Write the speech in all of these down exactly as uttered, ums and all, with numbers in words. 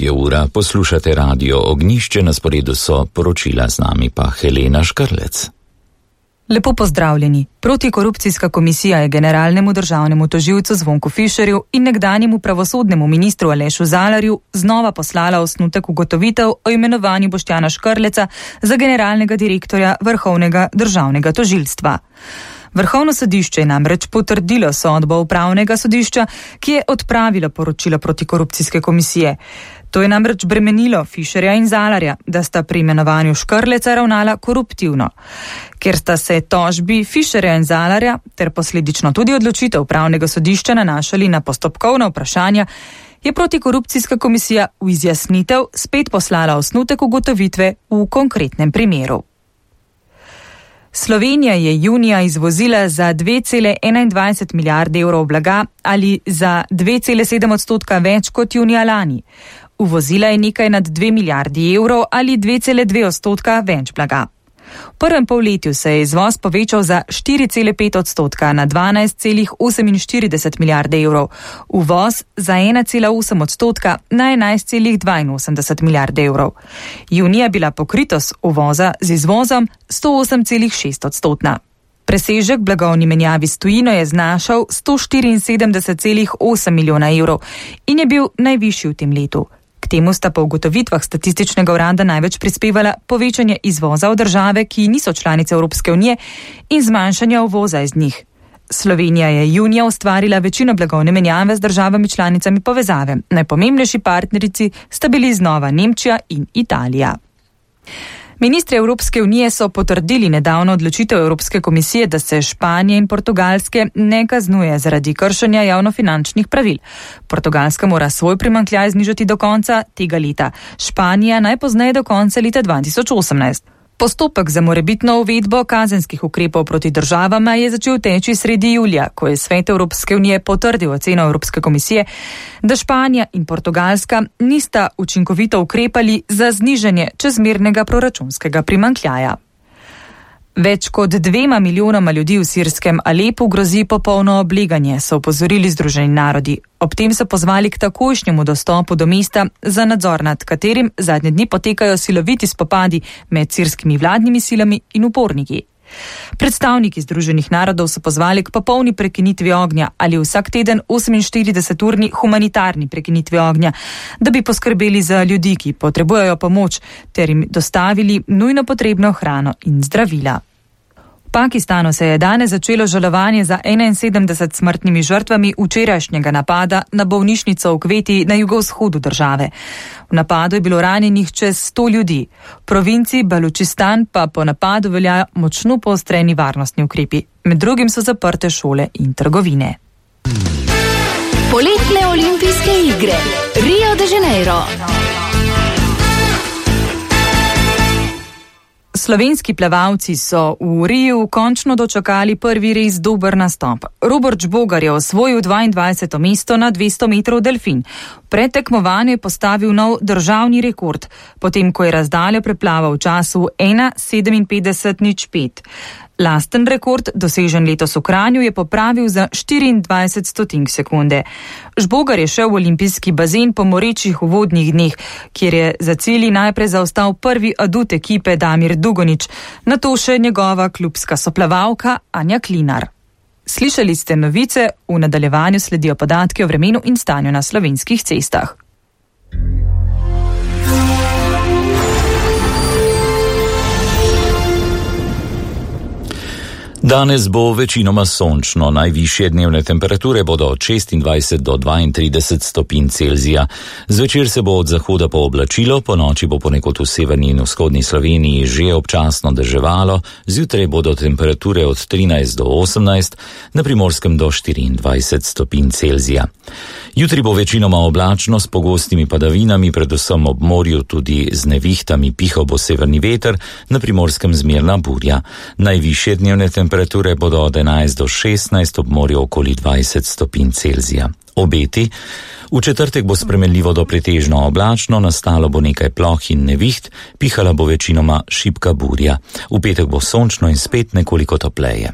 Je ura, poslušate Radio Ognjišče, na sporedu so poročila, z nami pa Helena Škrlec. Lepo pozdravljeni. Protikorupcijska komisija je generalnemu državnemu tožilcu Zvonku Fišerju in nekdanjemu pravosodnemu ministru Alešu Zalarju znova poslala osnutek ugotovitev o imenovanju Boštjana Škrleca za generalnega direktorja Vrhovnega državnega tožilstva. Vrhovno sodišče je namreč potrdilo sodbo upravnega sodišča, ki je odpravilo poročilo protikorupcijske komisije. To je namreč bremenilo Fišerja in Zalarja, da sta pri imenovanju Škrleca ravnala koruptivno. Ker sta se tožbi Fišerja in Zalarja ter posledično tudi odločitev upravnega sodišča nanašali na postopkovna vprašanja, je protikorupcijska komisija v izjasnitev spet poslala osnutek ugotovitve v konkretnem primeru. Slovenija je junija izvozila za dve cele enaindvajset milijarde evrov blaga ali za dve cele sedem odstotka več kot junija lani. Uvozila je nekaj nad dve milijardi evrov ali dve cele dve odstotka več blaga. V prvem polletju se je izvoz povečal za štiri cele pet odstotka na dvanajst cele oseminštirideset milijarde evrov, uvoz za ena cela osem odstotka na enajst cele dvainosemdeset milijarde evrov. Junija je bila pokritost uvoza z izvozom sto osem cele šest odstotna. Presežek blagovni menjavi s tujino je znašal sto štiriinsedemdeset cele osem milijona evrov in je bil najvišji v tem letu. K temu sta po ugotovitvah statističnega urada največ prispevala povečanje izvoza v države, ki niso članice Evropske unije, in zmanjšanje uvoza iz njih. Slovenija je junija ustvarila večino blagovne menjave z državami članicami povezave. Najpomembnejši partnerici sta bili znova Nemčija in Italija. Ministri Evropske unije so potrdili nedavno odločitev Evropske komisije, da se Španije in Portugalske ne kaznuje zaradi kršenja javnofinančnih pravil. Portugalska mora svoj primanjkljaj znižati do konca tega leta, Španija najpozneje do konca leta dva tisoč osemnajst. Postopek za morebitno uvedbo kazenskih ukrepov proti državama je začel teči sredi julija, ko je Svet Evropske unije potrdil oceno Evropske komisije, da Španija in Portugalska nista učinkovito ukrepali za znižanje čezmernega proračunskega primanjkljaja. Več kot dvema milijonoma ljudi v sirskem Alepu grozi popolno obleganje, so opozorili Združeni narodi. Ob tem so pozvali k takojšnjemu dostopu do mesta, za nadzor nad katerim zadnje dni potekajo siloviti spopadi med sirskimi vladnimi silami in uporniki. Predstavniki Združenih narodov so pozvali k popolni prekinitvi ognja ali vsak teden oseminštirideseturni humanitarni prekinitvi ognja, da bi poskrbeli za ljudi, ki potrebujejo pomoč, ter jim dostavili nujno potrebno hrano in zdravila. V Pakistanu se je danes začelo žalovanje za enainsedemdeset smrtnimi žrtvami včerajšnjega napada na bolnišnico v Kveti na jugovzhodu države. V napadu je bilo ranjenih čez sto ljudi. V provinciji Balučistan pa po napadu veljajo močno poostreni varnostni ukrepi. Med drugim so zaprte šole in trgovine. Poletne olimpijske igre Rio de Janeiro. Slovenski plavalci so v Riju končno dočakali prvi res dober nastop. Robert Žbogar je osvojil dvaindvajseto mesto na dvesto metrov delfin. Pred tekmovanjem je postavil nov državni rekord, potem ko je razdaljo preplaval v času ena sedeminpetdeset nič pet. Lasten rekord, dosežen letos v Kranju, je popravil za štiriindvajset stotink sekunde. Žbogar je šel v olimpijski bazen po morečih uvodnih dneh, kjer je za cilji najprej zaostal prvi adut ekipe Damir Dugonič, nato še njegova klubska soplavalka Anja Klinar. Slišali ste novice, v nadaljevanju sledijo podatki o vremenu in stanju na slovenskih cestah. Danes bo večinoma sončno, najvišje dnevne temperature bodo od šestindvajset do dvaintrideset stopinj Celzija. Zvečer se bo od zahoda pooblačilo, po noči bo ponekod v severni in vzhodni Sloveniji že občasno deževalo, zjutraj bodo temperature od trinajst do osemnajst, na Primorskem do štiriindvajset stopinj Celzija. Jutri bo večinoma oblačno s pogostimi padavinami, predvsem ob morju tudi z nevihtami, pihal bo severni veter, na Primorskem zmerna burja. Najvišje dnevne temperature bodo od enajst do šestnajst, ob morju okoli dvajset stopinj Celzija. Obeti: v četrtek bo spremenljivo do pretežno oblačno, nastalo bo nekaj ploh in neviht, pihala bo večinoma šibka burja. V petek bo sončno in spet nekoliko topleje.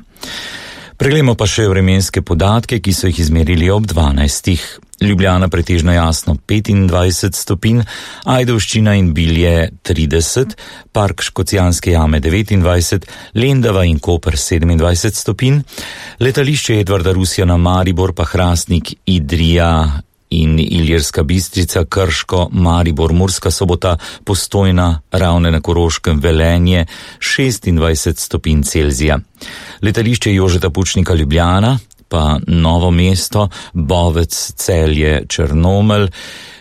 Preglejmo pa še vremenske podatke, ki so jih izmerili ob dvanajstih. Ljubljana pretežno jasno petindvajset stopinj, Ajdovščina in Bilje trideset, Park Škocjanske jame devetindvajset, Lendava in Koper sedemindvajset stopinj, letališče Edvarda Rusjana Maribor pa Hrastnik, Idrija in Ilirska Bistrica, Krško, Maribor, Murska Sobota, Postojna, Ravne na Koroškem, Velenje šestindvajset stopinj Celzija. Letališče Jožeta Pučnika Ljubljana pa Novo mesto, Bovec, Celje, Črnomelj,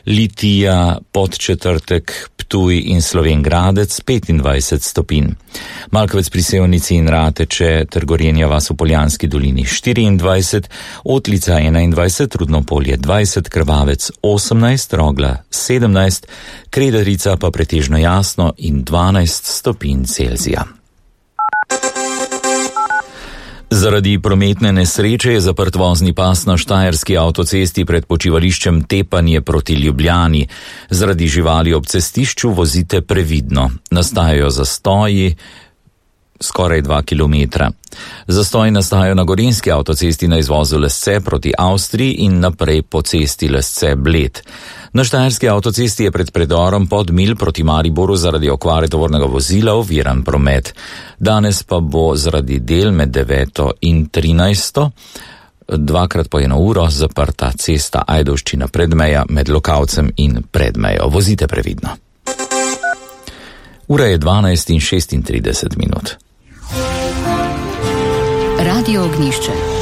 Litija, Podčetrtek, Ptuj in Slovenj Gradec petindvajset stopinj. Malkovec pri Sevnici in Rateče ter Gorenja vas v Poljanski dolini štiriindvajset, Otlica enaindvajset, Rudnopolje dvajset, Krvavec osemnajst, Rogla sedemnajst, Kredarica pa pretežno jasno in dvanajst stopinj Celzija. Zaradi prometne nesreče je zaprt vozni pas na štajerski avtocesti pred počivališčem Tepanje proti Ljubljani. Zaradi živali ob cestišču vozite previdno. Nastajajo zastoji skoraj dva kilometra. Zastoji nastajajo na Gorenjski avtocesti na izvozu Lesce proti Avstriji in naprej po cesti Lesce-Bled. Na štajerski avtocesti je pred predorom Podmilj proti Mariboru zaradi okvare tovornega vozila oviran promet. Danes pa bo zaradi del med deveto in trinajsto dvakrat po eno uro zaprta cesta Ajdovščina Predmeja med Lokavcem in Predmejo. Vozite previdno. Ura je dvanajst in šestintrideset minut. Radio Ognjišče.